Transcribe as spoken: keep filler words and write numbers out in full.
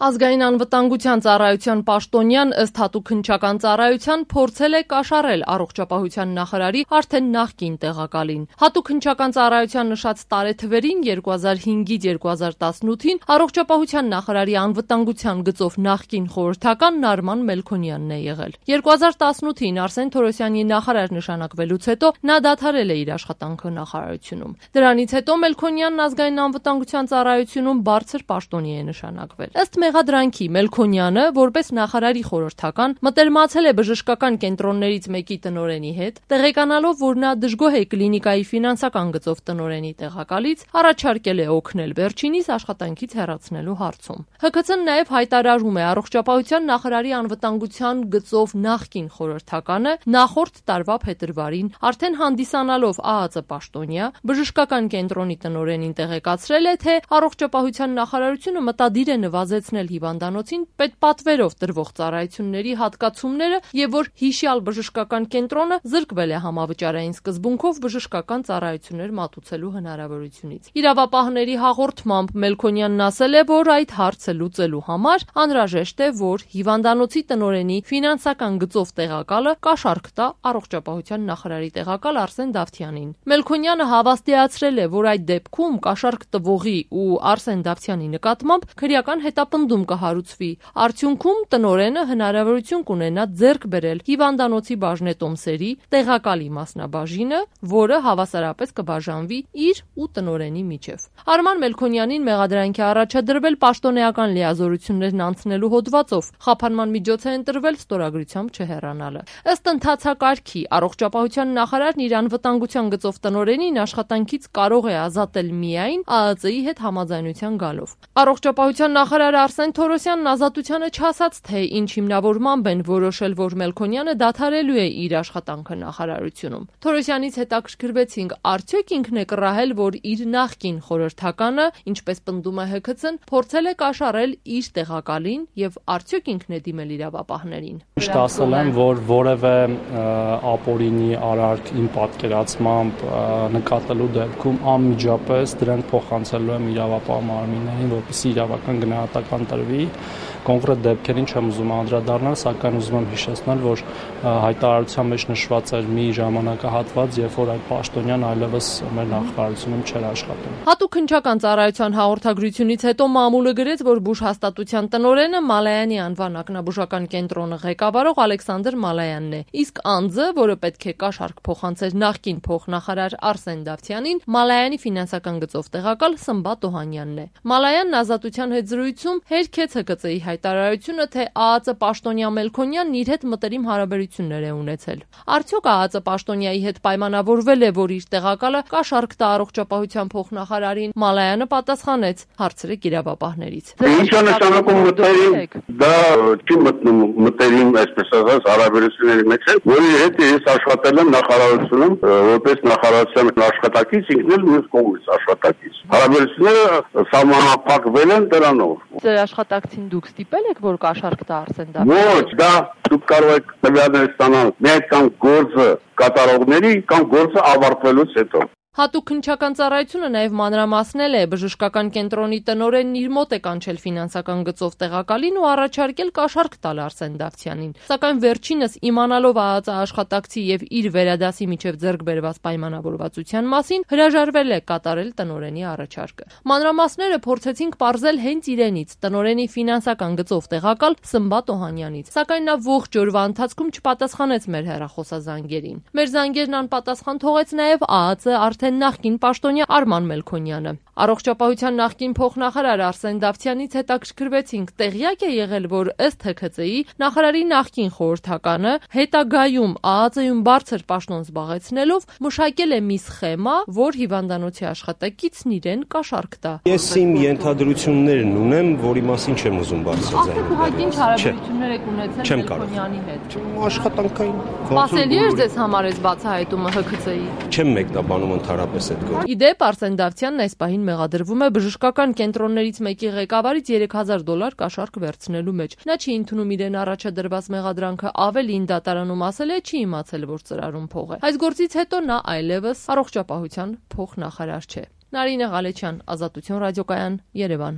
Ազգային անվտանգության ծառայության պաշտոնյան ըստ հատուկ հնչական ծառայության փորձել է կաշառել առողջապահության նախարարի արդեն նախկին տեղակալին։ Հատուկ հնչական ծառայության նշած տարեթվերին երկու հազար հինգից երկու հազար տասնութին առողջապահության նախարարի անվտանգության գծով նախկին խորհրդական Նարման Մելքոնյանն է եղել։ երկու հազար տասնութին Արսեն Թորոսյանի նախարար նշանակվելուց հետո նա դադարել է իր աշխատանքը նախարարությունում։ Դրանից հետո Մելքոնյանն ազգային անվտանգության ծառայությունում բարձր պաշտոնի է նշանակվել։ Ըստ մեղադրանքի Մելքոնյանը, որպես նախարարի խորհրդական, մտերմացել է բժշկական կենտրոններից մեկի տնօրենի հետ, տեղեկանալով, որ նա դժգոհ է կլինիկայի ֆինանսական գծով տնօրենի տեղակալից, առաջարկել է օգնել վերջինիս աշխատանքից հեռացնելու հարցում։ Հ K C-ն նաև հայտարարում է առողջապահության նախարարի անվտանգության գծով նախկին խորհրդականը նախորդ տարվա փետրվարին արդեն հանդիսանալով Ա Ա Ծ պաշտոնյա բժշկական կենտրոնի տնօրենին տեղեկացրել է, թե առողջապահության նախարարությունը մտադիր է նվազեցնել հիվանդանոցին պետպատվերով տրվող ծառայությունների հատկացումները եւ որ հիշյալ բժշկական կենտրոնը զրկվել է համավճարային սկզբունքով բժշկական ծառայություններ մատուցելու հնարավորությունից։ Իրավապահների հաղորդմամբ Մելքոնյանն ասել է, որ այդ հարցը լուծելու համար անհրաժեշտ է, որ հիվանդանոցի տնօրենի ֆինանսական գծով տեղակալը կաշառք տա առողջապահության նախարարի տեղակալ Արսեն Դավթյանին։ Մելքոնյանը հավաստիացրել է, որ այդ դեպքում կաշառք տվողի ու Արսեն Դավթյանի նկատմամբ քրեական հետապնդում կհարուցվի։ Արդյունքում տնօրենը հնարավորություն կունենա ձեռք բերել հիվանդանոցի բաժնետոմսերի տեղակալի մասնաբաժինը, որը հավասարապես կբաժանվի իր ու տնօրենի միջև։ Արման Մելքոնյանին մեղադրանքի առաջադրվել պաշտոնեական լիազորություններն անցնելու հոդվածով խափանման միջոց է ընտրվել ստորագրությամբ չհեռանալը։ Ըստ ընթացակարգի առողջապահության նախարարն իր անվտանգության գծով տնօրենին աշխատանքից կարող է ազատել միայն Ա Ա Ծ-ի հետ համաձայնության գալով։ Առողջապահության նախարար Արսեն Թորոսյանն ազատությանը չասաց, թե ինչ հիմնավորմամբ են որոշել, որ Մելքոնյանը դադարելու է իր աշխատանքը նախարարությունում։ Թորոսյանից հետաքրքրվեցինք, արդյոք ինքն է կռահել, որ իր նախկին խորհրդականը, ինչպես պնդում է Հ K C-ն, փորձել է կաշառել իր տեղակալին եւ արդյոք ինքն է դիմել իրավապահներին։ Միշտ ասել եմ, որ որևէ ապօրինի արարք իմ պատկերացմամբ նկատելու դեպքում անմիջապես դրանք փոխանցելու եմ իրավապահ մարմիններին, որպեսզի իրավական գնահատական տրվի։ Կոնկրետ դեպքերին չեմ ուզում անդրադառնալ, սակայն ուզում եմ հիշեցնել, որ հայտարարության մեջ նշված էր մի ժամանակահատված, երբ որ այդ պաշտոնյան այլևս մեր նախարարությունում չէր աշխատում։ Հատուկ հնչական ծառայության հաղորդագրությունից հետո մամուլը գրեց, որ բուժ հաստատության տնօրենը Մալայանի անվան ակնաբուժական կենտրոնը ղեկավարող Ալեքսանդր Մալայանն է, իսկ անձը, որը պետք է կաշառք փոխանցեր նախկին փոխնախարար Արսեն Դավթյանին, Մալայանի ֆինանսական գծով տեղակալ Սմբատ Օհանյանն է։ Մալայանն ազատության հետ զրույցում հերքեց Հ K C-ի հայտարարությունը, թե Ա Ա Ծ պաշտոնյա Մելքոնյանն իր հետ մտերիմ հարաբերություններ է ունեցել։ Արդյոք Ա Ա Ծ պաշտոնյայի հետ պայմանավորվել է, որ իր տեղակալը կաշառք տա առողջապահության փոխնախարարին։ Մալայանը պատասխանեց, հարցրեք իրավապահներից։ Ինչ է նշանակում մտերիմ, դա չի մտնում մտերիմ, այսպես ասած, հարաբերությունների մեջ է, որի հետ ես աշխատել եմ նախարարությունում, որպես նախարարության աշխատակից, ինքն էլ մյուս կողմից աշխատակից։ Հարաբերությունները սահմանափակվել են դրանով։ Ձեր աշխատակցին դուք ստիպել եք, որ կաշառք տա Արսեն Դավթյանին։ Ոչ, դա դուք կարող եք տվյալներ ստանալ միայն կամ գործը կատարողների կամ գործը ավարտվելուց հետո։ Հատուկ հնչական ծառայությունը նաև մանրամասնել է բժշկական կենտրոնի տնօրենն իր մոտ է կանչել ֆինանսական գծով տեղակալին ու առաջարկել կաշառք տալ Արսեն Դավթյանին։ Սակայն վերջինս իմանալով Ա Ա Ծ աշխատակցի եւ իր վերադասի միջև ձեռք բերված պայմանավորվածության մասին հրաժարվել է կատարել տնօրենի առաջարկը։ Մանրամասները փորձեցինք պարզել հենց իրենից տնօրենի ֆինանսական գծով տեղակալ Սմբատ Օհանյանից, սակայն նա ողջ օրվա ընթացքում չպատասխանեց մեր հեռախոսազանգերին։ Մեր զանգերն անպատասխան թողեց նաև Ա Ա Ծ նախկին պաշտոնյա Արման Մելքոնյանը։ Առողջապահության նախկին փոխնախարար Արսեն Դավթյանից հետաքրքրվեցինք, տեղյակ է եղել, որ ըստ Հ K C-ի նախարարի նախկին խորհրդականը հետագայում Ա Ա Ծ-ում բարձր պաշտոն զբաղեցնելով մշակել է մի սխեմա, որ հիվանդանոցի աշխատակիցն իրեն կաշառք տա։ Ես իմ ենթադրություններն ունեմ, որի մասին չեմ ուզում բարձրաձայնել։ Արդյոք ինչ հարաբերություններ եք ունեցել Մելքոնյանի հետ։ Աշխատանքային։ Սպասելի էր ձեզ համար այս բացահայտումը Հ K C-ի։ Չեմ մեկնաբանում ընդհանրապես այդ գործը։ Իդեպ Արսեն Դավթյանն այս պահին մեղադրվում է բժշկական կենտրոններից մեկի ղեկավարից երեք հազար դոլար կաշառք վերցնելու մեջ։ Նա չի ընդունում իրեն առաջադրված մեղադրանքը, ավելին դատարանում ասել է չի իմացել, որ ծրարում փող է։ Այս գործից հետո նա այլևս առողջապահության փոխնախարար չէ։ Նարինե Ղալեչյան, Ազատություն ռադիոկայան, Երևան։